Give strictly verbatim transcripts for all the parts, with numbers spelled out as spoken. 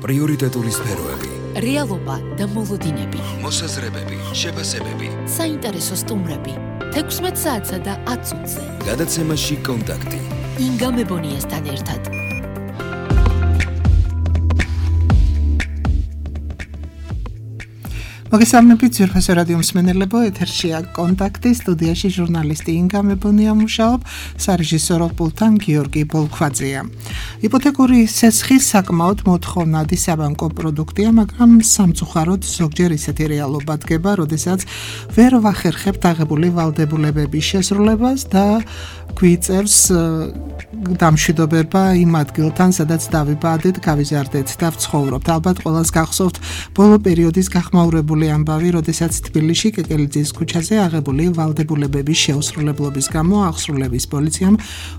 პრიორიტეტული სფეროები, რეალობა და მოლოდინები, მოსაზრებები, შეფასებები, საინტერესო სტუმრები, თექვსმეტ საათსა და ათ წუთზე. გადაცემაში კონტაქტი. ინგა მებონიასთან ერთად. მოგესალმებით ძვირფასო რადიო მსმენელებო, ეთერშია კონტაქტი, სტუდიაში ჟურნალისტი ინგა მებონია მუშაობ, სარეჟისორო პულტთან გიორგი ბოლქვაძეა. იპოთეკური სესხი საკმაოდ მოთხოვნადი საბანკო პროდუქტია, მაგრამ სამწუხაროდ ზოგჯერ ისეთი რეალობა დგება, როდესაც ვერ ვახერხებთ აღებული ვალდებულებების შესრულებას და გვიწევს დამშვიდობება იმ ადგილთან, სადაც დავიბადეთ, გავიზარდეთ და ვცხოვრობთ. ალბათ ყველას გახსოვთ ბოლო პერიოდის გახმაურებული ამბავი, როდესაც თბილისში კეკელიძის ქუჩაზე აღებული ვალდებულებების შეუსრულებლობის გამო აღსრულების პოლიციამ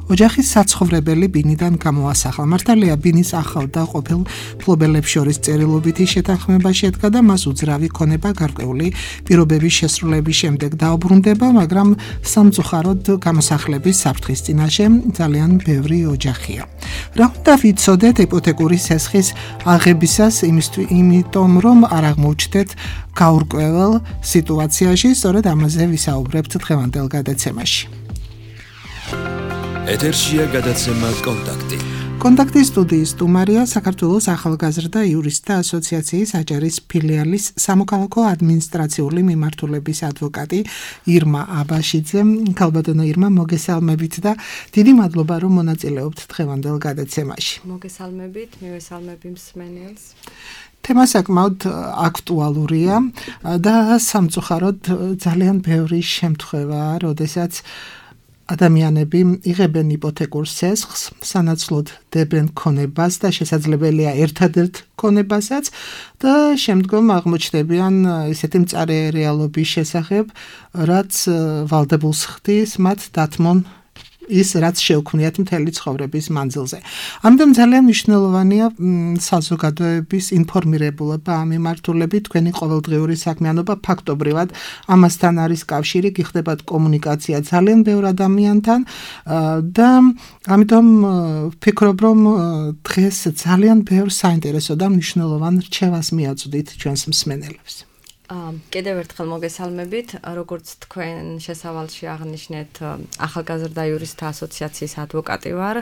ოჯახის საცხოვრებელი ბინიდან გამოასახლა. მართალია ბინის ახალ და ყოფილ მფლობელებს შორის წერილობითი შეთანხმება შედგა და მას უძრავი ქონება გარკვეული პირობების შესრულების შემდეგ დაუბრუნდება, მაგრამ სამწუხაროდ გამოსახლების საფრთხის წინაშე ძალიან ბევრი ოჯახია. რა უნდა ვიცოდეთ იპოთეკური სესხის აღებისას, იმიტომ რომ არ აღმოჩნდეთ გაურკვეველ სიტუაციაში, სწორედ ამაზე ვისაუბრებთ დღევანდელ გადაცემაში. ეთერშია გადაცემა კონტაქტი. კონტაქტის სტუდიის სტუმარია საქართველოს ახალგაზრდა იურისტთა ასოციაციის აჭარის ფილიალის სამოქალაქო ადმინისტრაციული მიმართულების ადვოკატი ირმა აბაშიძე. ქალბატონო ირმა, მოგესალმებით და დიდი მადლობა, რომ მონაწილეობთ დღევანდელ გადაცემაში. მოგესალმებით, მივესალმები მსმენელს. თემა საკმაოდ აქტუალურია და სამწუხაროდ ძალიან ბევრი შემთხვევაა, როდესაც ადამიანები იღებენ იპოთეკურ სესხს, სანაცვლოდ დებენ ქონებას და შესაძლებელია ერთადერთ ქონებასაც და შემდგომ აღმოჩნდებიან ისეთი მწარე რეალობის შესახებ, რაც ვალდებულს ხდის მათ დათმონ ის, რაც შეუქმნიათ მთელი ცხოვრების მანძილზე. ამიტომ ძალიან მნიშვნელოვანია საზოგადოების ინფორმირებულობა ამ მიმართულებით, თქვენი ყოველდღიური საქმიანობა ფაქტობრივად ამასთან არის კავშირი, გიხდებათ კომუნიკაცია ძალიან ბევრ ადამიანთან და ამიტომ ვფიქრობ, რომ დღეს ძალიან ბევრ საინტერესო და მნიშვნელოვან რჩევას მიაწვდით ჩვენს მსმენელებს. კიდევ ერთხელ მოგესალმებით, როგორც თქვენ შესავალში აღნიშნეთ, ახალგაზრდა იურისტთა ასოციაციის ადვოკატი ვარ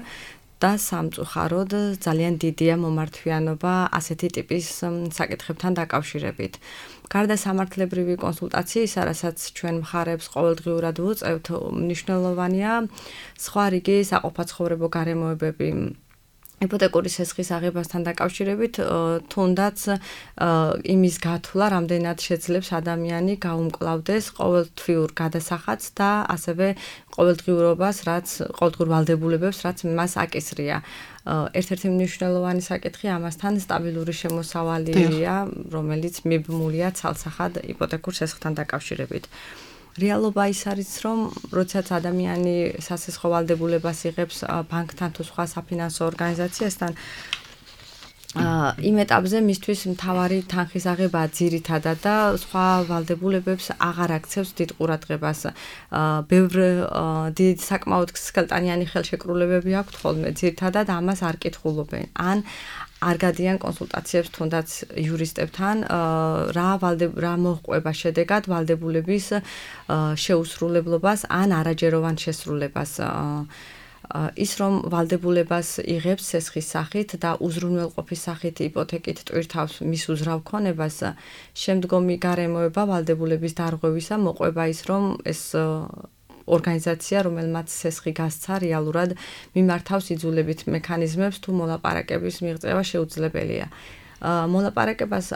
და სამწუხაროდ ძალიან დიდია მომართვიანობა ასეთი ტიპის საკითხებთან დაკავშირებით. გარდა სამართლებრივი კონსულტაციისა, რასაც ჩვენ მხარებს ყოველდღიურად ვუწევთ, მნიშვნელოვანია სხვა რიგი საყოფაცხოვრებო გარემოებები. იპოთეკური სესხის აღებასთან დაკავშირებით თუნდაც იმის გათვლა, რამდენად შეძლებს ადამიანი გაუმკლავდეს ყოველთვიურ გადასახადს და ასევე ყოველდღიურობას, რაც ყოველდღიურ ვალდებულებებს, რაც მას აკისრია. ერთ-ერთი მნიშვნელოვანი საკითხი ამასთან სტაბილური შემოსავალია, რომელიც მიბმულია ცალსახად იპოთეკურ სესხთან დაკავშირებით. რეალობა ის არის, რომ როდესაც ადამიანი სასესხო ვალდებულებას იღებს ბანკთან თუ სხვა საფინანსო ორგანიზაციასთან, იმ ეტაპზე მისთვის მთავარი თანხის აღებაა ძირითადად და სხვა ვალდებულებებს აღარ აქცევს დიდ ყურადღებას. ბევრ დიდ საკმაოდ სქელტანიანი ხელშეკრულებები აქვთ ხოლმე, ძირითადად ამას არ კითხულობენ. ან არ გადიან კონსულტაციებს თუნდაც იურისტებთან, რა რა მოჰყვება შედეგად ვალდებულების შეუსრულებლობას ან არაჯეროვან შესრულებას. ის რომ ვალდებულებას იღებს სესხის სახით და უზრუნველყოფის სახით იპოთეკით ტვირთავს მის უზრავ ქონებას, შემდგომი გარემოება ვალდებულების დარღვევისა მოყვება ის, რომ ეს ორგანიზაცია, რომელმაც სესხი გასცა, რეალურად მიმართავს იძულებით მექანიზმებს თუ მოლაპარაკების მიღწევა შეუძლებელია. მოლაპარაკებას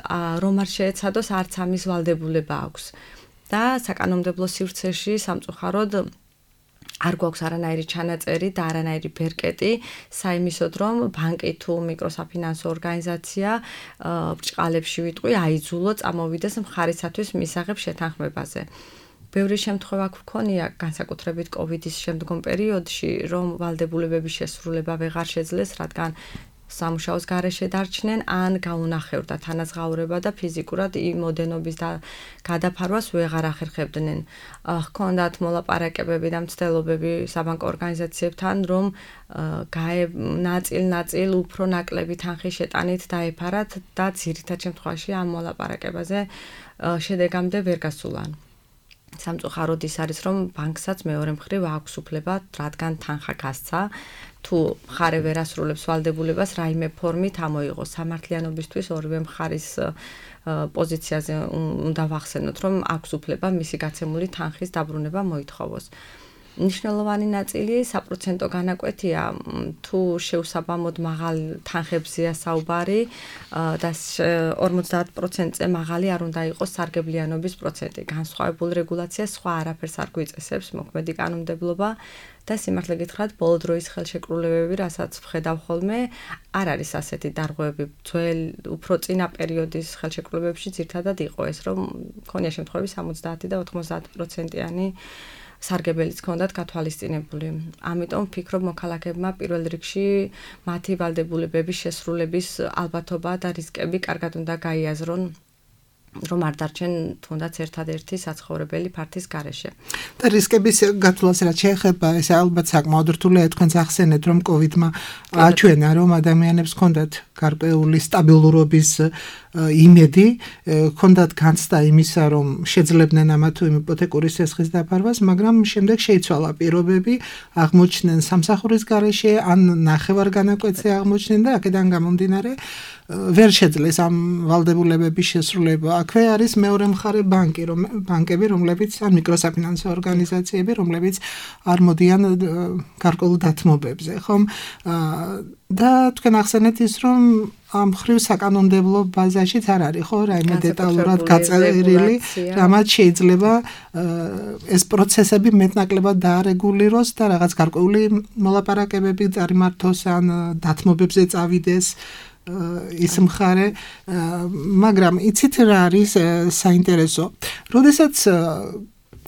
რომ არ შეეცადოს, არც ამის ვალდებულება აქვს. და საკანონმდებლო სივრცეში სამწუხაროდ არ გვაქვს არანაირი ჩანაწერი და არანაირი ბერკეტი საიმისოდ, რომ ბანკი თუ მიკროსაფინანსო ორგანიზაცია ბრჭყალებში ვიტყვი აიძულო წამოვიდეს მხარისათვის მისაღებ შეთანხმებაზე. ბევრი შემთხვევა გვქონია განსაკუთრებით კოვიდის შემდგომ პერიოდში, რომ ვალდებულებების შესრულება ვეღარ შეძლეს, რადგან სამუშაოს გარეშე დარჩნენ, ან გაუნახევრდა თანაზღაურება და ფიზიკურად იმ ოდენობის და გადაფარვას ვეღარ ახერხებდნენ. ჰქონდათ მოლაპარაკებები და მცდელობები საბანკო ორგანიზაციებთან, რომ ნაწილ-ნაწილ უფრო ნაკლები თანხის შეტანით დაეფარათ და ძირითად შემთხვევაში ამ მოლაპარაკებაზე შედეგამდე ვერ გასულან. სამწუხაროდ ის არის, რომ ბანკსაც მეორე მხრივ აქვს უფლება, რადგან თანხა გასცა, თუ მხარე ვერ ასრულებს ვალდებულებას, რაიმე ფორმით ამოიღოს. სამართლიანობისთვის ორივე მხარის პოზიციაზე უნდა ვახსენოთ, რომ აქვს უფლება მისი გაცემული თანხის დაბრუნება მოითხოვოს. ნიშნულოვანი ნაწილი საპროცენტო განაკვეთია, თუ შეუსაბამოდ მაღალ თანხებზეა საუბარი და ორმოცდაათ პროცენტზე მაღალი არ უნდა იყოს სარგებლიანობის პროცენტი. განსხვავებულ რეგულაციას სხვა არაფერს არ გვიწესებს, მოქმედი კანონმდებლობა და სიმართლე გითხრათ, ბოლო დროის ხელშეკრულებები, რასაც ვხედავ ხოლმე, არ არის ასეთი დარღვევები. ძველ, უფრო წინა პერიოდის ხელშეკრულებებში ძირითადად იყო ეს, რომ მქონია შემთხვევები სამოცდაათი და ოთხმოცდაათი პროცენტიანი სარგებელიც ჰქონდათ გათვალისწინებული. ამიტომ ვფიქრობ, მოქალაქეებმა პირველ რიგში მათი ვალდებულებების შესრულების ალბათობა და რისკები კარგად უნდა გაიაზრონ, რომ არ დარჩენ თუნდაც ერთადერთი საცხოვრებელი ფართის გარეშე. და რისკების გათვლას რაც შეეხება, ეს ალბათ საკმაოდ რთულია. თქვენც ახსენეთ, რომ კოვიდმა აჩვენა, რომ ადამიანებს ჰქონდათ გარკვეული სტაბილურობის იმედი, ჰქონდათ განცდა იმისა, რომ შეძლებდნენ ამა თუ იმ იპოთეკური სესხის დაფარვას, მაგრამ შემდეგ შეიცვალა პირობები, აღმოჩნდნენ სამსახურის გარეშე, ან ნახევარ განაკვეთზე აღმოჩნდნენ და აქედან გამომდინარე ვერ შეძლეს ამ ვალდებულებების შესრულება. აქვე არის მეორე მხარე ბანკი, რომ ბანკები, რომლებიც ან მიკროსაფინანსო ორგანიზაციები, რომლებიც არ მოდიან გარკვეულ დათმობებზე, ხომ? და თქვენ ახსენეთ ის, რომ ამ ხრივ საკანონმდებლო ბაზაშიც არ არის, ხო, რაიმე დეტალურად გაწერილი, რამაც შეიძლება ეს პროცესები მეტნაკლებად დაარეგულიროს და რაღაც გარკვეული მოლაპარაკებები წარიმართოს ან დათმობებზე წავიდეს ის მხარე, მაგრამ იცით რა არის საინტერესო. როდესაც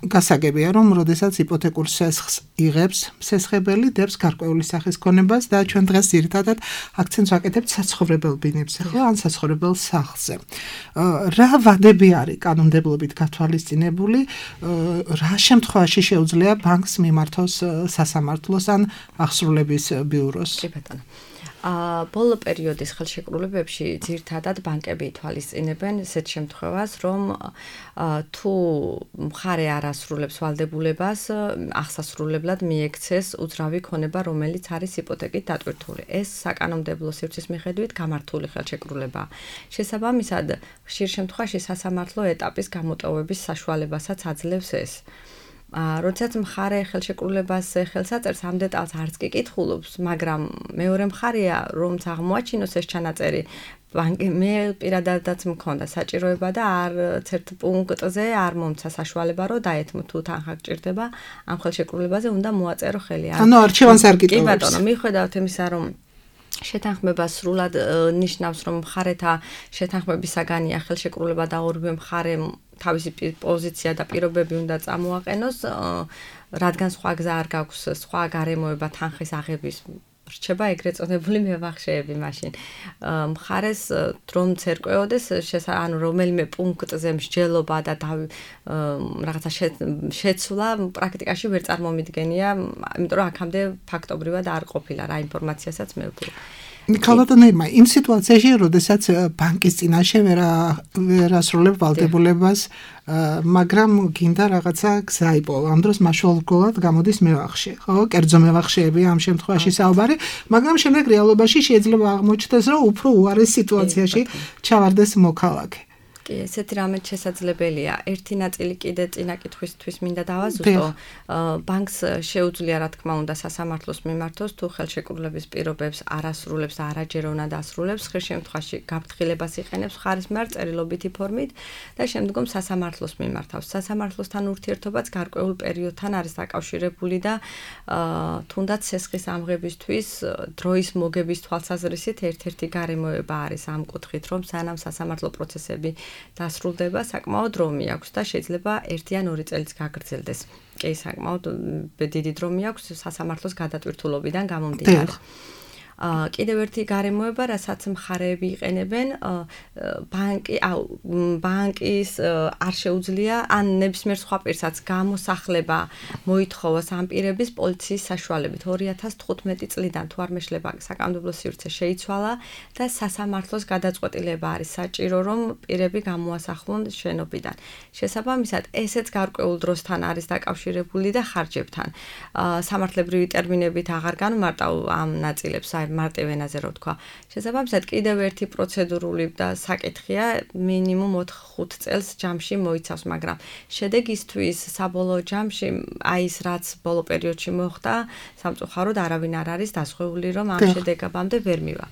გასაგებია, რომ როდესაც იპოთეკურ სესხს იღებს, სესხებელი დებს გარკვეული სახის ქონებას და ჩვენ დღეს ძირითადად აქცენტს ვაკეთებთ საცხოვრებელ ბინებზე, ხო, ან საცხოვრებელ სახლზე. რა ვადები არის კანონმდებლობით გათვალისწინებული, რა შემთხვევაში შეუძლია ბანკს მიმართოს სასამართლოს ან ახსრულების ბიუროს? კი ბატონო. ბოლო პერიოდის ხელშეკრულებებში ძირითადად ბანკები ითვალისწინებენ ისეთ შემთხვევას, რომ თუ მხარე არ ასრულებს ვალდებულებას, აღსასრულებლად მიექცეს უძრავი ქონება, რომელიც არის იპოთეკით დატვირთული. ეს საკანონმდებლო სივრცის მიხედვით გამართული ხელშეკრულებაა. შესაბამისად, ხშირ შემთხვევაში სასამართლო ეტაპის გამოტოვების საშუალებასაც აძლევს ეს. როდესაც მხარე ხელშეკრულებას ხელს აწერს, ამ დეტალს არც კი კითხულობს, მაგრამ მეორე მხარეა, რომც აღმოაჩინოს ეს ჩანაწერი, ბანკი მე პირადადაც მქონდა საჭიროება და არც ერთ პუნქტზე არ მომცა საშუალება, რომ დაეთმო თუ თანხა გჭირდება, ამ ხელშეკრულებაზე უნდა მოაწერო ხელი. ანუ არჩევანს არ გიტოვებს. კი ბატონო, მიუხედავად იმისა, რომ შეთანხმება სრულად ნიშნავს, რომ მხარეთა შეთანხმების საგანია ხელშეკრულება და ორივე მხარემ თავისი პოზიცია და პირობები უნდა წამოაყენოს, რადგან სხვა გზა არ გაქვს, სხვა გარემოება თანხის აღების რჩება ეგრეთ წოდებული მევახშეები მაშინ. მხარეს რომ ცერკვეოდეს, ანუ რომელიმე პუნქტზე მსჯელობა და რაღაცა შეცვლა პრაქტიკაში ვერ წარმომიდგენია, იმიტომ რომ აქამდე ფაქტობრივად არ ყოფილა რა ინფორმაციასაც მე ვფიქრობ. ქალბატონებმა იმ სიტუაციაში, როდესაც ბანკის წინაშე ვერ ასრულებ ვალდებულებას, მაგრამ გინდა რაღაცა გზა იპოვა. ამ დროს მაშველად გამოდის მევახშე, ხო? კერძო მევახშეები ამ შემთხვევაში საუბარი, მაგრამ შემდეგ რეალობაში შეიძლება აღმოჩნდეს, რომ უფრო უარეს სიტუაციაში ჩავარდეს მოქალაქე. კი, ესეთი რამეც შესაძლებელია. ერთი ნაწილი კიდე წინა კითხვისთვის მინდა დავაზუსტო. ბანკს შეუძლია, რა თქმა უნდა, სასამართლოს მიმართოს, თუ ხელშეკრულების პირობებს არ ასრულებს და არაჯეროვნად ასრულებს, ხშირ შემთხვევაში გაფრთხილებას იყენებს მხარის მიმართ წერილობითი ფორმით და შემდგომ სასამართლოს მიმართავს. სასამართლოსთან ურთიერთობაც გარკვეულ პერიოდთან არის დაკავშირებული და თუნდაც სესხის ამღებისთვის დროის მოგების თვალსაზრისით ერთ-ერთი გარემოება არის ამ კუთხით, რომ სანამ სასამართლო პროცესები დასრულდება, საკმაოდ დრომი აქვს და შეიძლება ერთი ან ორი წელიც გაგრძელდეს. კი, საკმაოდ დიდი დრომი აქვს სასამართლოს გადატვირთულობიდან გამომდინარე. კიდევ ერთი გარემოება, რასაც მხარეები იყენებენ, ბანკი, აუ, ბანკის არ შეუძლია ან ნებისმიერ სხვა პირსაც გამოსახლება მოითხოვოს ამ პირების პოლიციის საშუალებით. ორი ათას თხუთმეტი წლიდან თუ არ მეშლება საკანონმდებლო სივრცე შეიცვალა და სასამართლოს გადაწყვეტილება არის საჭირო, რომ პირები გამოასახლონ შენობიდან. შესაბამისად, ესეც გარკვეულ დროსთან არის დაკავშირებული და ხარჯებთან. სამართლებრივი ტერმინებით აღარ განმარტავ ამ ნაწილებს, აი მარტივ ენაზე რო ვთქვა. შესაბამისად, კიდევ ერთი პროცედურული და საკითხია, მინიმუმ ოთხ-ხუთ წელს ჯამში მოიცავს, მაგრამ შედეგისთვის საბოლოო ჯამში აი ის რაც ბოლო პერიოდში მოხდა, სამწუხაროდ არავინ არ არის დასხვეული, რომ ამ შედეგამდე ვერ მივა.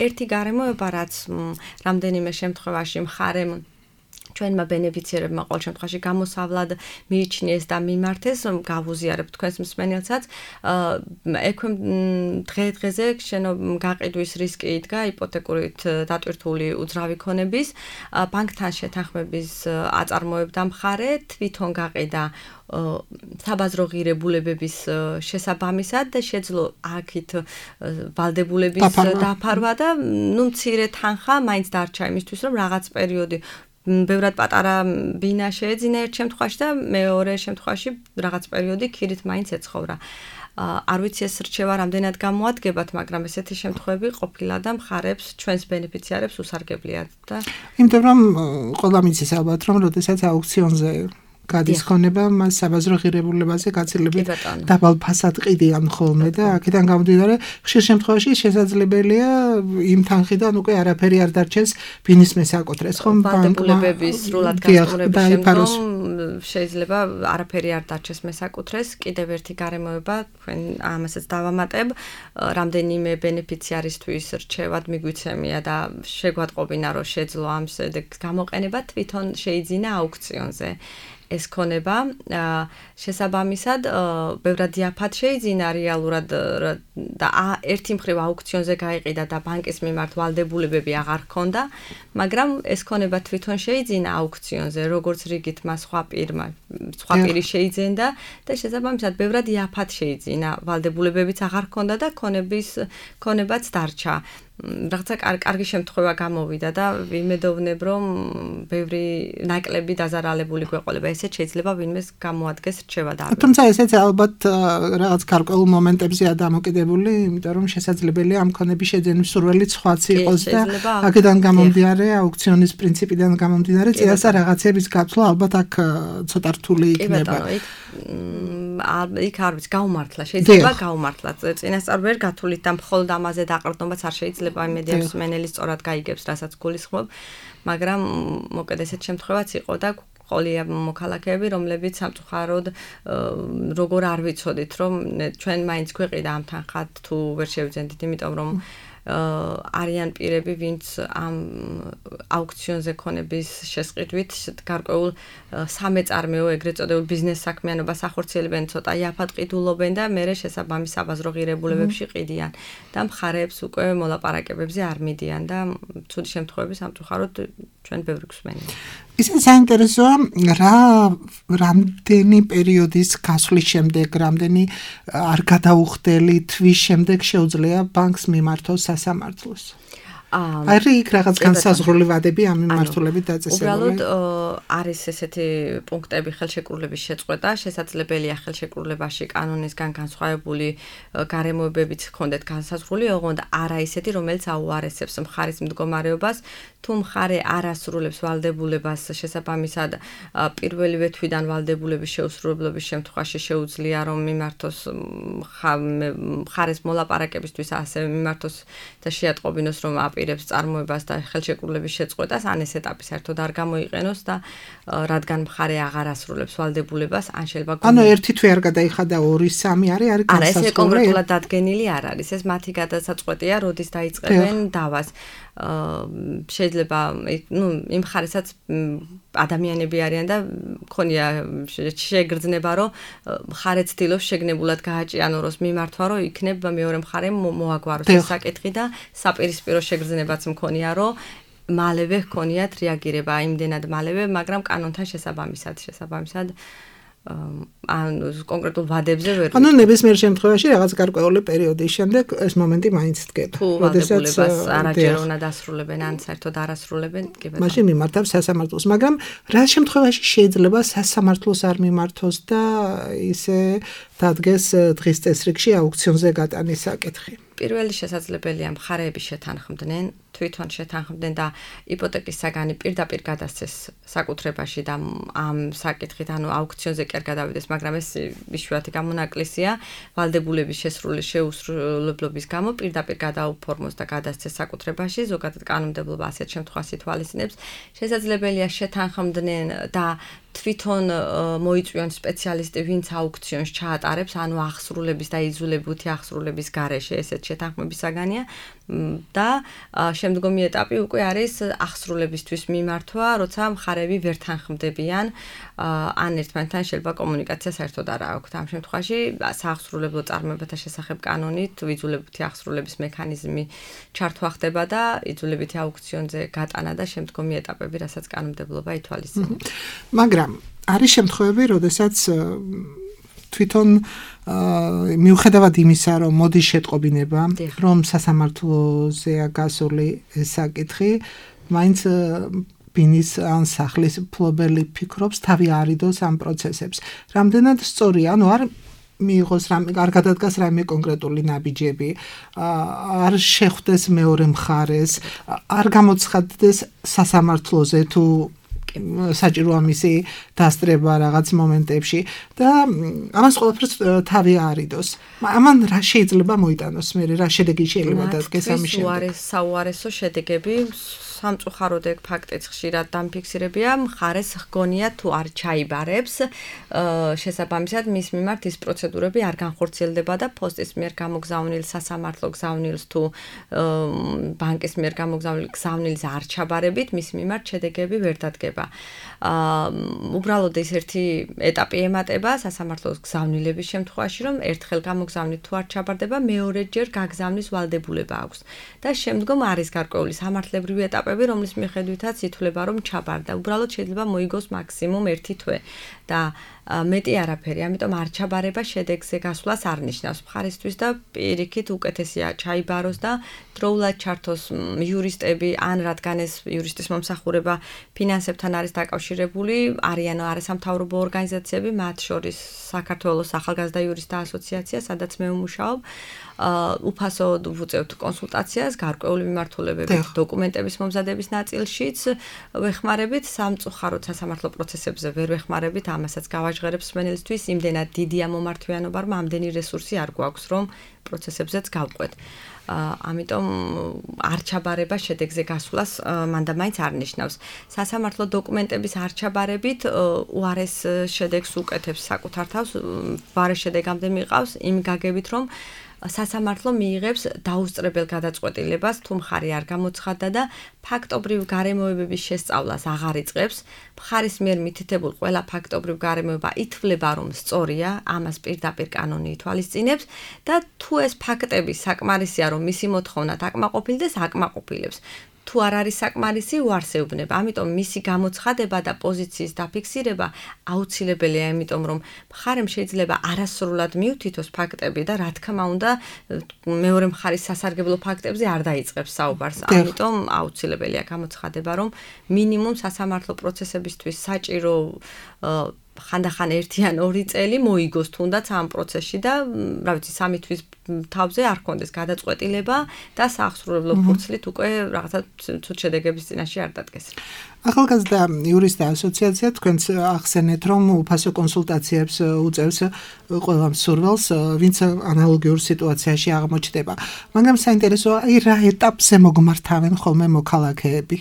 ერთი გარემოება, რაც რამდენიმე შემთხვევაში მხარემ ჩვენმა ბენეფიციერებმა ყოველ შემთხვევაში გამოსავლად მიიჩნიეს და მიმართეს, გავუზიარებ თქვენს მსმენელსაც, ექვე დღე-დღეზე შენო გაყიდვის რისკი იდგა იპოთეკურით დატვირთული უძრავი ქონების, ბანკთან შეთანხმების აწარმოებდა მხარე, თვითონ გაყიდა საბაზრო ღირებულებების შესაბამისად და შეძლო აქით ვალდებულების დაფარვა და ნუ მცირე თანხა მაინც დარჩა იმისთვის, რომ რაღაც პერიოდი ბევრად პატარა ბინა შეეძინა ერთ შემთხვევაში და მეორე შემთხვევაში რაღაც პერიოდი ქირით მაინც ეცხოვრა. არ ვიცი ეს რჩევა რამდენად გამოადგებათ, მაგრამ ესეთი შემთხვევები ყოფილა და მხარებს ჩვენს ბენეფიციარებს უსარგებლიათ და იმიტომ რომ ყველა მიცის ალბათ რომ როდესაც აუქციონზე გადის ხონება, მას საბაზრო ღირებულებაზე გაცილებით დაბალ ფასად ყიდიან ხოლმე და აქედან გამომდინარე, ხშირ შემთხვევაში შესაძლებელია იმ თანხიდან უკვე არაფერი არ დარჩეს ბინის მესაკუთრეს, ხომ? ვალდებულებების სრულად გასწორების შემდგომ შეიძლება არაფერი არ დარჩეს მესაკუთრეს. კიდევ ერთი გარემოება, თქვენ ამასაც დავამატებ, რამდენიმე ბენეფიციარისთვის რჩევად მიგვიცემია და შეგვატყობინა, რომ შეძლო ამ შედეგს გამოყენება, თვითონ შეიძინა აუქციონზე. ეს ქონება შესაბამისად ბევრად იაფად შეიძინა რეალურად და ერთი მხრივ აუქციონზე გაიყიდა და ბანკის მიმართ ვალდებულებები აღარ ჰქონდა, მაგრამ ეს ქონება თვითონ შეიძინა აუქციონზე, როგორც რიგით მას სხვა პირმა, სხვა პირი შეიძენდა და შესაბამისად ბევრად იაფად შეიძინა, ვალდებულებებიც აღარ ჰქონდა და ქონების ქონებაც დარჩა. რაღაცა კარგი შემთხვევა გამოვიდა და ვიმედოვნებ, რომ ბევრი ნაკლები დაზარალებული გვეყოლება. ესეც შეიძლება ვინმეს გამოადგეს რჩევა და. თუმცა ესეც ალბათ რაღაც გარკვეულ მომენტებზეა დამოკიდებული, იმიტომ რომ შესაძლებელია ამ ქონების შეძენის სურვილიც სხვაც იყოს და აქედან გამომდინარე, აუქციონის პრინციპიდან გამომდინარე, წინასწარ რაღაცების გაცვლა ალბათ აქ ცოტა რთული იქნება. იქ არ ვიცი, გაუმართლა, შეიძლება გაუმართლათ. წინასწარ ვერ გათვლით და მხოლოდ ამაზე დაყრდნობაც არ შეიძლება იმედია მსმენელი სწორად გაიგებს, რასაც გულისხმობ, მაგრამ მოკედ ესეთ შემთხვევაც იყო და ყოლია მოქალაქეები, რომლებიც სამწუხაროდ როგორ არ ვიცოდით, რომ ჩვენ მაინც გვეყიდა ამ თანხად თუ ვერ შევძენდით, იმიტომ რომ არიან პირები, ვინც ამ აუქციონზე ქონების შესყიდვით გარკვეულ სამეწარმეო ეგრეთ წოდებულ ბიზნეს საქმიანობას ახორციელებენ, ცოტა იაფად ყიდულობენ და მერე შესაბამის საბაზრო ღირებულებებში ყიდიან და მხარეებს უკვე მოლაპარაკებებზე არ მიდიან და ცუდი შემთხვევები სამწუხაროდ ჩვენ ბევრი გვსმენია. ისე საინტერესოა, რა რამდენი პერიოდის გასვლის შემდეგ, რამდენი არ გადაუხდელი თვის შემდეგ შეუძლია ბანკს მიმართოს სასამართლოს. აი იქ რაღაც განსაზღვრული ვადები ამ მიმართულებით დაწესებული. უბრალოდ არის ესეთი პუნქტები ხელშეკრულების შეწყვეტა, შესაძლებელია ხელშეკრულებაში კანონისგან განსხვავებული გარემოებებიც ჰქონდეთ განსაზღვრული, ოღონდ არა ისეთი, რომელიც აუარესებს მხარის მდგომარეობას, თუ მხარე არ ასრულებს ვალდებულებას შესაბამისად პირველივე თვიდან ვალდებულების შეუსრულებლობის შემთხვევაში შეუძლია რომ მიმართოს მხარეს მოლაპარაკებისთვის ასევე მიმართოს და შეატყობინოს რომ აპირებს წარმოებას და ხელშეკრულების შეწყვეტას ან ეს ეტაპი საერთოდ არ გამოიყენოს და რადგან მხარე აღარ ასრულებს ვალდებულებას ან შეიძლება ანუ ერთი თვე არ გადაიხადა ორი სამი არის არის განსაზღვრული. არა, ეს კონკრეტულად დადგენილი არ არის. ეს მათი გადასაწყვეტია, როდის დაიწყებენ დავას. შეიძლება ნუ იმ ხარესაც ადამიანები არიან და მქონია შეგრძნება რომ მხარე ცდილობს შეგნებულად გააჭიანუროს მიმართვა რომ იქნებ მეორე მხარემ მოაგვაროს ეს საკითხი და საპირისპირო შეგრძნებაც მქონია რომ მალევე ჰქონიათ რეაგირება იმდენად მალევე, მაგრამ კანონთან შესაბამისად შესაბამისად ან კონკრეტულ ვადებზე ვერ ანუ ნებისმიერ შემთხვევაში რაღაც გარკვეული პერიოდის შემდეგ ეს მომენტი მაინც დგება. როდესაც არაჯერ უნდა დასრულებენ ან საერთოდ არასრულებენ, კი ბატონო. მაშინ მიმართავს სასამართლოს, მაგრამ რა შემთხვევაში შეიძლება სასამართლოს არ მიმართოს და ისე დადგეს დღის წესრიგში აუქციონზე გატანის საკითხი? პირველი შესაძლებელია მხარეები შეთანხმდნენ, თვითონ შეთანხმდნენ და იპოთეკის საგანი პირდაპირ გადასცეს საკუთრებაში და ამ საკითხით, ანუ აუქციონზე კი არ გადავიდეს, მაგრამ ეს იშვიათი გამონაკლისია, ვალდებულების შესრული შეუსრულებლობის გამო პირდაპირ გადაუფორმოს და გადასცეს საკუთრებაში, ზოგადად კანონმდებლობა ასეთ შემთხვევას ითვალისწინებს. შესაძლებელია შეთანხმდნენ და თვითონ მოიწვიონ სპეციალისტი, ვინც აუქციონს ჩაატარებს, ანუ აღსრულების და იძულებითი აღსრულების გარეშე ესეთ შეთანხმების საგანია და შემდგომი ეტაპი უკვე არის აღსრულებისთვის მიმართვა, როცა მხარეები ვერ თანხმდებიან, ან ერთმანეთთან შეიძლება კომუნიკაცია საერთოდ არ აქვთ. ამ შემთხვევაში სააღსრულებლო წარმოებათა შესახებ კანონით იძულებითი აღსრულების მექანიზმი ჩართვა ხდება და იძულებითი აუქციონზე გატანა და შემდგომი ეტაპები, რასაც კანონმდებლობა ითვალისწინებს. მაგრამ არის შემთხვევები, როდესაც თვითონ მიუხედავად იმისა, რომ მოდის შეტყობინება, რომ სასამართლოზეა გასული საკითხი, მაინც ბინის ან სახლის მფლობელი ფიქრობს თავი არიდოს ამ პროცესებს. რამდენად სწორია, ანუ არ მიიღოს რამე, არ გადადგას რამე კონკრეტული ნაბიჯები, არ შეხვდეს მეორე მხარეს, არ გამოცხადდეს სასამართლოზე თუ საჭირო ამისი დასწრება რაღაც მომენტებში და ამას ყველაფერს თავი არიდოს. ამან რა შეიძლება მოიტანოს მე, რა შედეგი შეიძლება დადგეს ამის შემდეგ? უარეს საუარესო შედეგები სამწუხაროდ ეგ ფაქტიც ხშირად დამფიქსირებია, მხარეს ჰგონია თუ არ ჩაიბარებს, შესაბამისად მის მიმართ ის პროცედურები არ განხორციელდება და ფოსტის მიერ გამოგზავნილ სასამართლო გზავნილს თუ ბანკის მიერ გამოგზავნილ გზავნილს არ ჩაბარებით, მის მიმართ შედეგები ვერ დადგება. უბრალოდ ეს ერთი ეტაპი ემატება სასამართლოს გზავნილების შემთხვევაში, რომ ერთხელ გამოგზავნით თუ არ ჩაბარდება, მეორეჯერ გაგზავნის ვალდებულება აქვს. და შემდგომ არის გარკვეული სამართლებრივი ეტაპები, რომლის მიხედვითაც ითვლება, რომ ჩაბარდა. უბრალოდ შეიძლება მოიგოს მაქსიმუმ ერთი თვე და მეტი არაფერი, ამიტომ არ ჩაბარება შედეგზე გასვლას არ ნიშნავს. მხარისთვის და პირიქით უკეთესია ჩაიბაროს და დროულად ჩართოს იურისტები, ან რადგან ეს იურისტის მომსახურება ფინანსებთან არის დაკავშირებული, არიან არასამთავრობო ორგანიზაციები, მათ შორის საქართველოს ახალგაზრდა იურისტთა ასოციაცია, სადაც მე ვმუშაობ, უფასოდ ვუწევთ კონსულტაციას, გარკვეული მიმართულებებით, დოკუმენტების მომზადების ნაწილშიც ვეხმარებით, სამწუხაროდ სასამართლო პროცესებზე ვერ ვეხმარებით, ამასაც გავაჟღერებს მსმენელისთვის, იმდენად დიდია მომართვიანობა, რომ ამდენი რესურსი არ გვაქვს, რომ პროცესებზეც გავყვეთ. ამიტომ არ ჩაბარება შედეგზე გასვლას მანდა მაინც არ ნიშნავს. სასამართლო დოკუმენტების არ ჩაბარებით უარეს შედეგს უკეთებს საკუთარ თავს, ვარეს შედეგამდე მიყავს იმ გაგებით, რომ სასამართლო მიიღებს დაუსწრებელ გადაწყვეტილებას, თუ მხარე არ გამოცხადდა და ფაქტობრივ გარემოებების შესწავლას აღარ იწყებს. მხარის მიერ მითითებულ ყველა ფაქტობრივ გარემოება ითვლება, რომ სწორია, ამას პირდაპირ კანონი ითვალისწინებს და თუ ეს ფაქტები საკმარისია, რომ მისი მოთხოვნა დაკმაყოფილდეს, აკმაყოფილებს. თუ არ არის საკმარისი, უარსეუბნება. ამიტომ მისი გამოცხადება და პოზიციის დაფიქსირება აუცილებელია, იმიტომ რომ მხარემ შეიძლება არასრულად მიუთითოს ფაქტები და რა თქმა უნდა მეორე მხარის სასარგებლო ფაქტებზე არ დაიწყებს საუბარს. ამიტომ აუცილებელია გამოცხადება, რომ მინიმუმ სასამართლო პროცესებისთვის საჭირო ხანდახან ერთი ან ორი წელი მოიგოს თუნდაც ამ პროცესში და რა ვიცი სამი თვის თავზე არ ქონდეს გადაწყვეტილება და სააღსრულებლო ფურცლით უკვე რაღაცა ცუდ შედეგების წინაშე არ დადგეს. ახალგაზრდა იურისტთა ასოციაცია თქვენს ახსენეთ, რომ უფასო კონსულტაციებს უწევს ყველა მსურველს, ვინც ანალოგიურ სიტუაციაში აღმოჩნდება. მაგრამ საინტერესოა, აი რა ეტაპზე მოგმართავენ ხოლმე მოქალაქეები?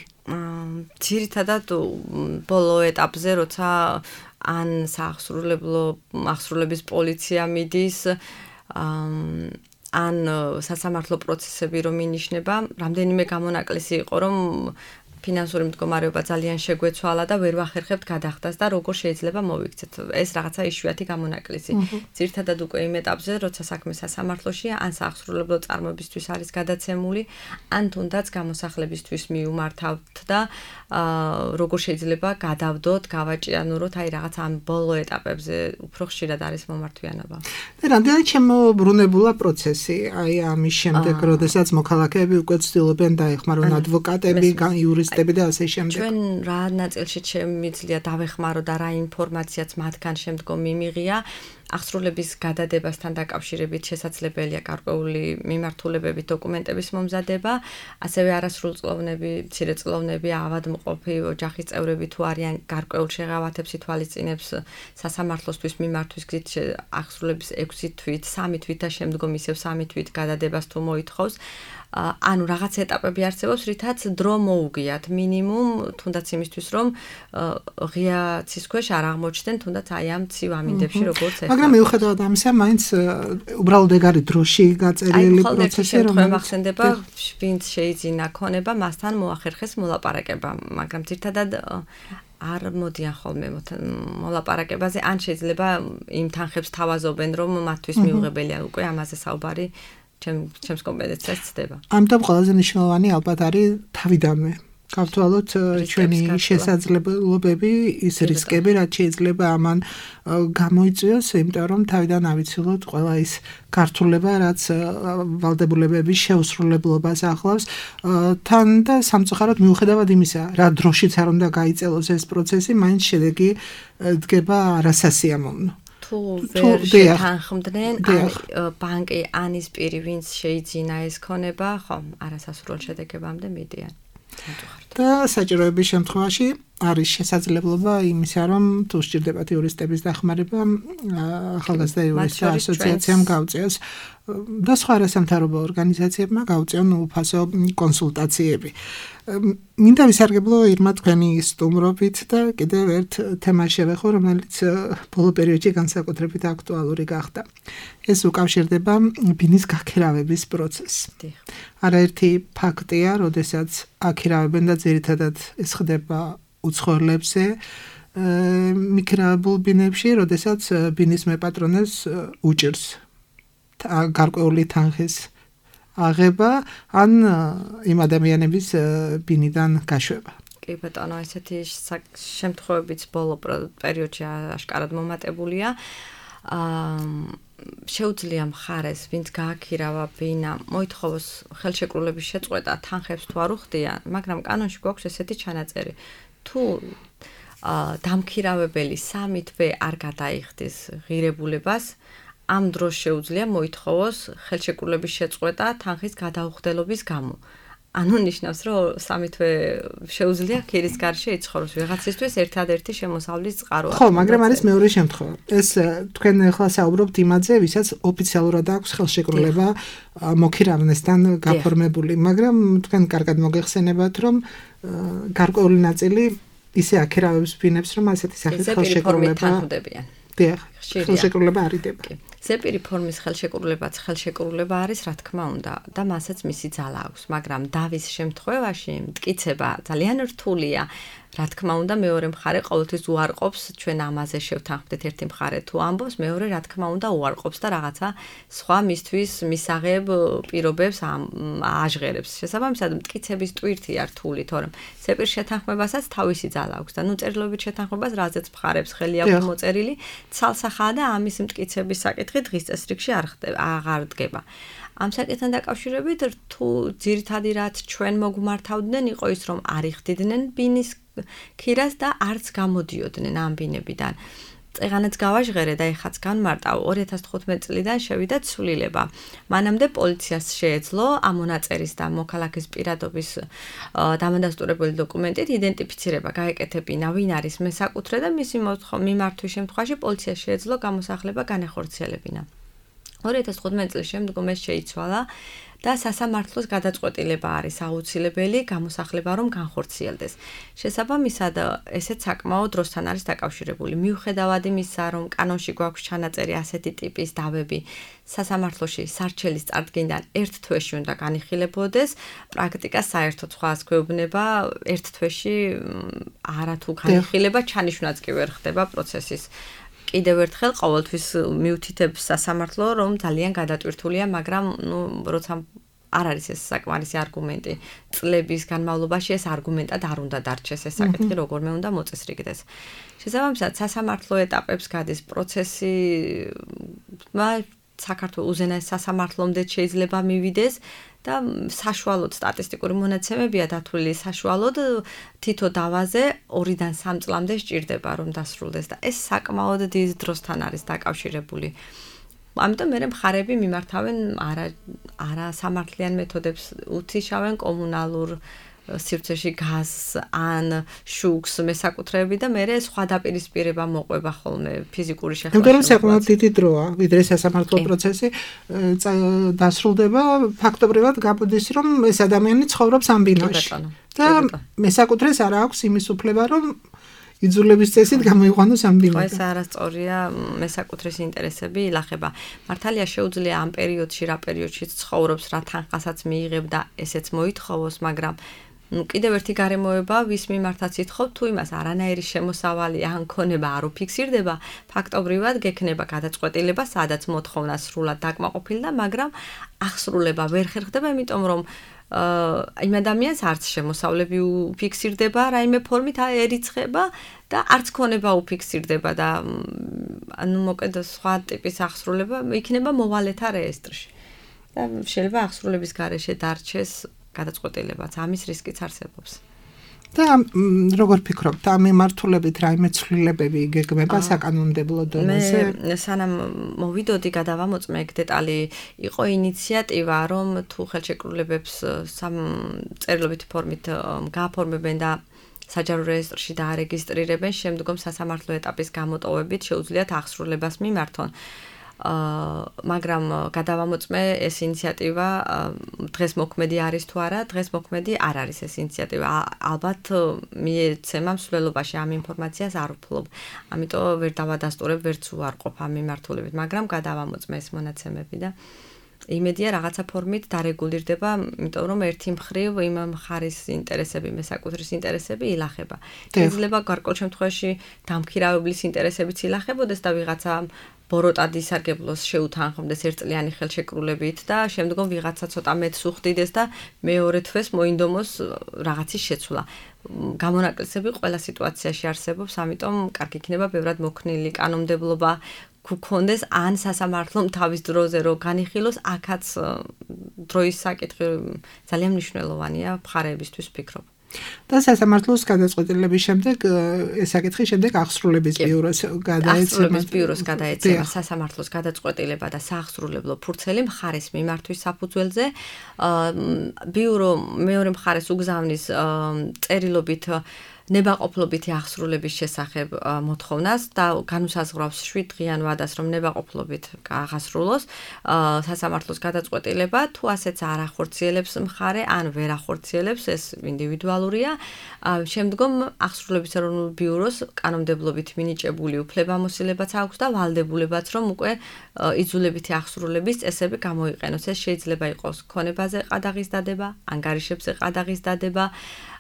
ძირითადად ბოლო ეტაპზე, როცა ან სააღსრულებლო აღსრულების პოლიცია მიდის, ან სასამართლო პროცესები რომ ინიშნება, რამდენიმე გამონაკლისი იყო, რომ ფინანსური მდგომარეობა ძალიან შეგვეცვალა და ვერ ვახერხებთ გადახდას და როგორ შეიძლება მოვიქცეთ. ეს რაღაცა იშვიათი გამონაკლისი. ძირითადად უკვე იმ ეტაპზე, როცა საქმე სასამართლოშია, ან სააღსრულებლო წარმოებისთვის არის გადაცემული, ან თუნდაც გამოსახლებისთვის მიუმართავთ და როგორ შეიძლება გადავდოთ, გავაჭიანუროთ აი რაღაც ამ ბოლო ეტაპებზე უფრო ხშირად არის მომართვიანობა. და რამდენად შემოbrunებულა პროცესი აი ამის შემდეგ, როდესაც მოქალაქეები უკვე ცდილობენ დაეხმარონ ადვოკატები, იურისტები და ასე შემდეგ. ჩვენ რა ნაწილში შემიძლია დავეხმარო და რა ინფორმაციაც მათგან შემდგომ მიმიღია, აღსრულების გადადებასთან დაკავშირებით შესაძლებელია გარკვეული მიმართულებებით დოკუმენტების მომზადება, ასევე არასრულწლოვნები, მცირეწლოვნები, ავადმყოფი, ოჯახის წევრები თუ არიან გარკვეულ შეღავათებს ითვალისწინებს სასამართლოსთვის მიმართვის გზით აღსრულების ექვსი თვით, სამი თვით და შემდგომ ისევ სამი თვით გადადებას თუ მოითხოვს. ანუ რაღაც ეტაპები არსებობს, რითაც დრო მოუგიათ მინიმუმ, თუნდაც იმისთვის, რომ ღია ცის ქვეშ არ აღმოჩნდნენ, თუნდაც აი ამ ცივ ამინდებში როგორც ეხლა. მაგრამ მიუხედავად ამისა, მაინც უბრალოდ ეგ არის დროში გაწერილი პროცესი, რომელიც ხდება, ვინც შეიძინა ქონება, მასთან მოახერხეს მოლაპარაკება, მაგრამ ძირთადად არ მოდიან ხოლმე მოლაპარაკებაზე, ან შეიძლება იმ თანხებს თავაზობენ, რომ მათთვის მიუღებელია უკვე ამაზე საუბარი ჩემს კომპეტენციას ცდება. ამიტომ ყველაზე მნიშვნელოვანი ალბათ არის თავიდანვე გავთვალოთ ჩვენი შესაძლებლობები, ის რისკები, რაც შეიძლება ამან გამოიწვიოს, იმიტომ რომ თავიდან ავიცილოთ ყველა ის გართულება, რაც ვალდებულებების შეუსრულებლობას ახლავს, თან და სამწუხაროდ მიუხედავად იმისა, რა დროშიც არ უნდა გაიწელოს ეს პროცესი, მაინც შედეგი დგება არასასიამოვნო. თუ ვერ შეთანხმდნენ, ბანკი ან ის პირი, ვინც შეიძინა ეს ქონება, ხო, არასასურველ შედეგებამდე მიდიან. და საჭიროების შემთხვევაში არის შესაძლებლობა იმისა, რომ თუ სჭირდებათ იურისტების დახმარება, ახალგაზრდა იურისტთა ასოციაციამ გაუწიოს და სხვა არასამთავრობო ორგანიზაციებმა გაუწიონ უფასო კონსულტაციები. მინდა ვისარგებლო ირმა თქვენი სტუმრობით და კიდევ ერთ თემას შევეხო, რომელიც ბოლო პერიოდში განსაკუთრებით აქტუალური გახდა. ეს უკავშირდება ბინის გაქირავების პროცესს. არაერთი ფაქტია, როდესაც აქირავებენ და ძირითადად ეს ხდება უცხოელებზე, მიქირავებულ ბინებში, როდესაც ბინის მეპატრონეს უჭირს გარკვეული თანხის აღება ან იმ ადამიანების ბინიდან გაშვება. კი ბატონო, ესეთი შემთხვევებიც ბოლო პერიოდში აშკარად მომატებულია. შეუძლია მხარეს, ვინც გააქირავა ბინა, მოითხოვოს ხელშეკრულების შეწყვეტა თანხებს თუ არ უხდიან, მაგრამ კანონში გვაქვს ესეთი ჩანაწერი. თუ დამქირავებელი სამი თვე არ გადაიხდის ღირებულებას, ამ დროს შეუძლია მოითხოვოს ხელშეკრულების შეწყვეტა თანხის გადაუხდელობის გამო. ანუ ნიშნავს, რომ სამი თვე შეუძლია ქირის გარშე იცხოვროს ვიღაცისთვის ერთადერთი შემოსავლის წყაროა. ხო, მაგრამ არის მეორე შემთხვევა. ეს თქვენ ახლა საუბრობთ იმაზე, ვისაც ოფიციალურად აქვს ხელშეკრულება მოქირავნესთან გაფორმებული, მაგრამ თქვენ კარგად მოგეხსენებათ, რომ გარკვეული ნაწილი ისე აქირავებს ბინებს, რომ ასეთი სახის ხელშეკრულება დიახ, ხელშეკრულება არიდება. ზეპირი ფორმის ხელშეკრულებაც ხელშეკრულება არის, რა თქმა უნდა, და მასაც მისი ძალა აქვს, მაგრამ დავის შემთხვევაში მტკიცება ძალიან რთულია. რა თქმა უნდა, მეორე მხარე ყოველთვის უარყოფს, ჩვენ ამაზე შევთანხმდით ერთი მხარე თუ ამბობს, მეორე რა თქმა უნდა უარყოფს და რაღაცა სხვა მისთვის მისაღებ პირობებს აჟღერებს. შესაბამისად, მტკიცების ტვირთია რთული, თორემ ზეპირ შეთანხმებასაც თავისი ძალა აქვს და ნუ წერილობით შეთანხმებას რაზეც მხარებს ხელი აქვს მოწერილი, ცალსახაა და ამის მტკიცების საკითხი დღის წესრიგში არ ხდება, აღარ დგება. ამ საკითხთან დაკავშირებით თუ ძირითადი რაც ჩვენ მოგმართავდნენ იყო ის, რომ არ იხდიდნენ ბინის ქირას და არც გამოდიოდნენ ამ ბინებიდან. წეღანაც გავაჟღერე და ეხაც განმარტავ ორი ათას თხუთმეტი წლიდან შევიდა ცვლილება. მანამდე პოლიციას შეეძლო ამ მონაწერის და მოქალაქის პირადობის დამადასტურებელი დოკუმენტით იდენტიფიცირება, გაეკეთებინა ვინ არის მესაკუთრე და მისი მიმართვის შემთხვევაში პოლიციას შეეძლო გამოსახლება განახორციელებინა. ორი ათას თხუთმეტი წლის შემდგომ ეს შეიცვალა და სასამართლოს გადაწყვეტილება არის აუცილებელი გამოსახლება რომ განხორციელდეს. შესაბამისად, ესეც საკმაოდ დროსთან არის დაკავშირებული. მიუხედავად იმისა, რომ კანონში გვაქვს ჩანაწერი ასეთი ტიპის დავები სასამართლოში სარჩელის წარდგენიდან ერთ თვეში უნდა განიხილებოდეს, პრაქტიკა საერთოდ სხვას გვეუბნება, ერთ თვეში არათუ განიხილება ჩანიშვნაც კი ვერ ხდება პროცესის. კიდევ ერთხელ ყოველთვის მიუთითებს სასამართლო, რომ ძალიან გადატვირთულია, მაგრამ ნუ როცა არ არის ეს საკმარისი არგუმენტი. წლების განმავლობაში ეს არგუმენტად არ უნდა დარჩეს ეს საკითხი, როგორმე უნდა მოწესრიგდეს. შესაბამისად, სასამართლო ეტაპებს გადის პროცესი, საქართველოს უზენაეს სასამართლომდე შეიძლება მივიდეს და საშუალოდ სტატისტიკური მონაცემებია დათვლილი საშუალოდ თითო დავაზე ორიდან სამ წლამდე სჭირდება რომ დასრულდეს და ეს საკმაოდ დიდ დროსთან არის დაკავშირებული. ამიტომ მე მხარები მიმართავენ არა არა სამართლიან მეთოდებს უთიშავენ კომუნალურ სივრცეში გაზს ან შუქს მესაკუთრეები და მე სხვა დაპირისპირება მოყვება ხოლმე ფიზიკური შეხვედრა. იმიტომ რომ საკმაოდ დიდი დროა, ვიდრე სასამართლო პროცესი დასრულდება, ფაქტობრივად გამოდის რომ ეს ადამიანი ცხოვრობს ამ ბინაში. და მესაკუთრეს არ აქვს იმის უფლება რომ იძულების წესით გამოიყვანოს ამ ბინაში. ეს არასწორია, მესაკუთრის ინტერესები ილახება. მართალია შეუძლია ამ პერიოდში, რა პერიოდშიც ცხოვრობს, რა თანხასაც მიიღებ და ესეც მოითხოვოს, მაგრამ ну კიდევ ერთი გარემოება ვის მიმართაც ითხოვ თუ იმას არანაირი შემოსავალი ან ქონება არ უფიქსირდება ფაქტობრივად გექნება გადაწყვეტილება სადაც მოთხოვნა სრულად დაკმაყოფილდა მაგრამ აღსრულება ვერ ხერხდება იმიტომ რომ იმ ადამიანს არც შემოსავლები უფიქსირდება რაიმე ფორმით ერიცხება და არც ქონება უფიქსირდება და ანუ მოკედ სხვა ტიპის აღსრულება იქნება მოვალეთა რეესტრში და შეიძლება აღსრულების გარეშე დარჩეს გადაწყვეტილებაც ამის რისკიც არსებობს. და როგორ ფიქრობთ, ამ მიმართულებით რაიმე ცვლილებები გეგმება საკანონმდებლო დონეზე? მე სანამ მოვიდოდი გადავამოწმე ეგ დეტალი, იყო ინიციატივა, რომ თუ ხელშეკრულებებს სამ წერილობითი ფორმით გააფორმებენ და საჯარო რეესტრში დაარეგისტრირებენ, შემდგომ სასამართლო ეტაპის გამოტოვებით შეუძლიათ აღსრულებას მიმართონ. მაგრამ გადავამოწმე ეს ინიციატივა დღეს მოქმედი არის თუ არა, დღეს მოქმედი არ არის ეს ინიციატივა. ალბათ მიეცემა მსვლელობაში ამ ინფორმაციას არ ვფლობ. ამიტომ ვერ დავადასტურებ, ვერც უარყოფ ამ მიმართულებით, მაგრამ გადავამოწმე ეს მონაცემები და იმედია რაღაცა ფორმით დარეგულირდება, იმიტომ რომ ერთი მხრივ იმ მხარის ინტერესები, მესაკუთრის ინტერესები ილახება. შეიძლება გარკვეულ შემთხვევაში დამქირავებლის ინტერესებიც ილახებოდეს და ვიღაცა ბოროტად ისარგებლოს შეუთანხმდეს ერთწლიანი ხელშეკრულებით და შემდგომ ვიღაცა ცოტა მეტს უხდიდეს და მეორე თვეს მოინდომოს რაღაცის შეცვლა. გამონაკლისები ყველა სიტუაციაში არსებობს, ამიტომ კარგი იქნება ბევრად მოქნილი კანონმდებლობა გქონდეს ან სასამართლომ თავის დროზე რო განიხილოს, აქაც დროის საკითხი ძალიან მნიშვნელოვანია მხარეებისთვის ვფიქრობ. და სასამართლოს გადაწყვეტილების შემდეგ ეს საკითხი შემდეგ აღსრულების ბიუროს გადაეცემა. აღსრულების ბიუროს გადაეცემა სასამართლოს გადაწყვეტილება და სააღსრულებლო ფურცელი მხარის მიმართვის საფუძველზე. ბიურო მეორე მხარეს უგზავნის წერილობით ნებაყოფლობითი აღსრულების შესახებ მოთხოვნას და განუსაზღვრავს შვიდ დღიან ვადას რომ ნებაყოფლობით აღასრულოს სასამართლოს გადაწყვეტილება თუ ასეც არ ახორციელებს მხარე ან ვერ ახორციელებს ეს ინდივიდუალურია შემდგომ აღსრულების ეროვნულ ბიუროს კანონმდებლობით მინიჭებული უფლებამოსილებაც აქვს და ვალდებულებაც რომ უკვე იძულებითი აღსრულების წესები გამოიყენოს ეს შეიძლება იყოს ქონებაზე ყადაღის დადება ანგარიშებზე ყადაღის დადება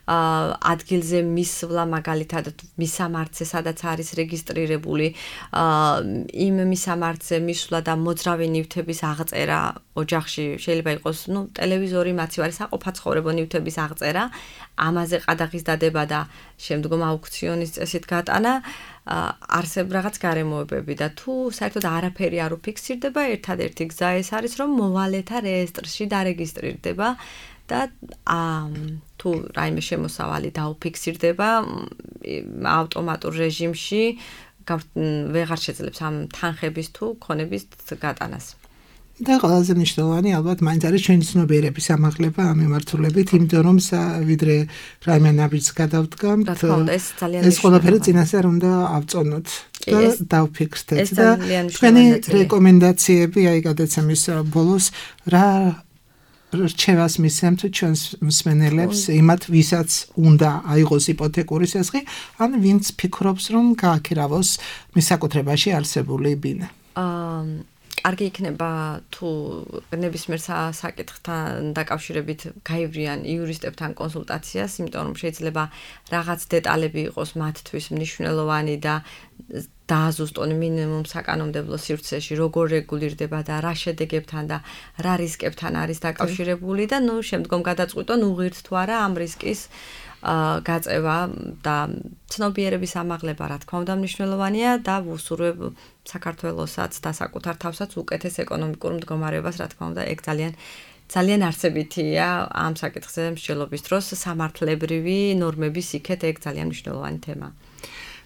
ადგილზე მისვლა მაგალითად მისამართზე სადაც არის რეგისტრირებული იმ მისამართზე მისვლა და მოძრავი ნივთების აღწერა ოჯახში შეიძლება იყოს ნუ ტელევიზორი მაცივარი საყოფაცხოვრებო ნივთების აღწერა ამაზე ყადაღის დადება და შემდგომ აუქციონის წესით გატანა არსებ რაღაც გარემოებები და თუ საერთოდ არაფერი არ უფიქსირდება ერთადერთი გზა ეს არის რომ მოვალეთა რეესტრში დარეგისტრირდება და თუ რაიმე შემოსავალი დაუფიქსირდება ავტომატურ რეჟიმში ვეღარ შეძლებს ამ თანხების თუ ქონების გატანას. და ყველაზე მნიშვნელოვანი ალბათ მაინც არის ჩვენი ცნობიერების ამაღლება ამ მიმართულებით, იმიტომ რომ ვიდრე რაიმე ნაბიჯს გადავდგამთ, ეს ყველაფერი წინასწარ უნდა ავწონოთ და დავფიქსდეთ და ჩვენი რეკომენდაციები აი გადაცემის ბოლოს რა რჩევას მისცემთ ჩვენს მსმენელებს იმათ ვისაც უნდა აიღოს იპოთეკური შესახი ან ვინც ფიქრობს რომ გააქირავოს მისაკუთრებაში არსებული ბინა. კარგი იქნება თუ ნებისმიერ საკითხთან დაკავშირებით გაივრიან იურისტებთან კონსულტაციას, იმიტომ რომ შეიძლება რაღაც დეტალები იყოს მათთვის მნიშვნელოვანი და დააზუსტონ მინიმუმ საკანონმდებლო სივრცეში, როგორ რეგულირდება და რა შედეგებთან და რა რისკებთან არის დაკავშირებული და ნუ შემდგომ გადაწყვიტონ უღირთ თუ არა ამ რისკის გაწევა და ცნობიერების ამაღლება, რა თქმა უნდა, მნიშვნელოვანია და ვუსურვებ საქართველოსაც და საკუთარ თავსაც უკეთეს ეკონომიკურ მდგომარეობას, რა თქმა უნდა, ეგ ძალიან ძალიან არსებითია ამ საკითხზე მსჯელობის დროს სამართლებრივი ნორმების იქეთ, ეგ ძალიან მნიშვნელოვანი თემა.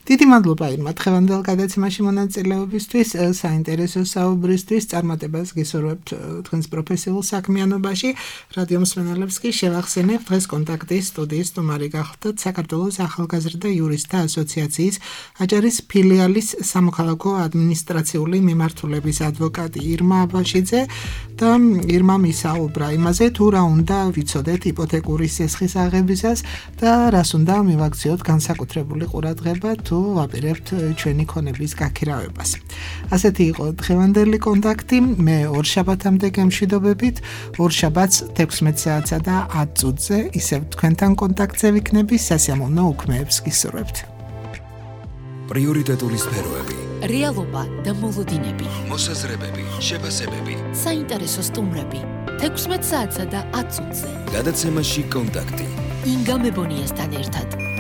დიდი მადლობა ირმა დღევანდელ გადაცემაში მონაწილეობისთვის, საინტერესო საუბრისთვის, წარმატებას გისურვებთ თქვენს პროფესიულ საქმიანობაში. რადიო მსმენელებს კი შევახსენებ, დღეს კონტაქტის სტუდიის სტუმარი გახლდათ საქართველოს ახალგაზრდა იურისტთა ასოციაციის აჭარის ფილიალის სამოქალაქო ადმინისტრაციული მიმართულების ადვოკატი ირმა აბაშიძე და ირმა მისაუბრა იმაზე, თუ რა უნდა ვიცოდეთ იპოთეკური სესხის აღებისას და რას უნდა მივაქციოთ განსაკუთრებული ყურადღება თუ ვაპირებთ ჩვენი ქონების გაქირავებას. ასეთი იყო დღევანდელი კონტაქტი. მე ორ შაბათამდე გემშვიდობებით. ორ შაბათს თექვსმეტ საათსა და ათ წუთზე ისევ თქვენთან კონტაქტზე ვიქნები. სასიამოვნო უქმეებს გისურვებთ. პრიორიტეტული სფეროები, რეალობა და მოლოდინები, მოსაზრებები, შეფასებები. საინტერესო სტუმრები. თექვსმეტ საათსა და ათ წუთზე. გადაცემაში კონტაქტი. ინგა მებონიასთან ერთად.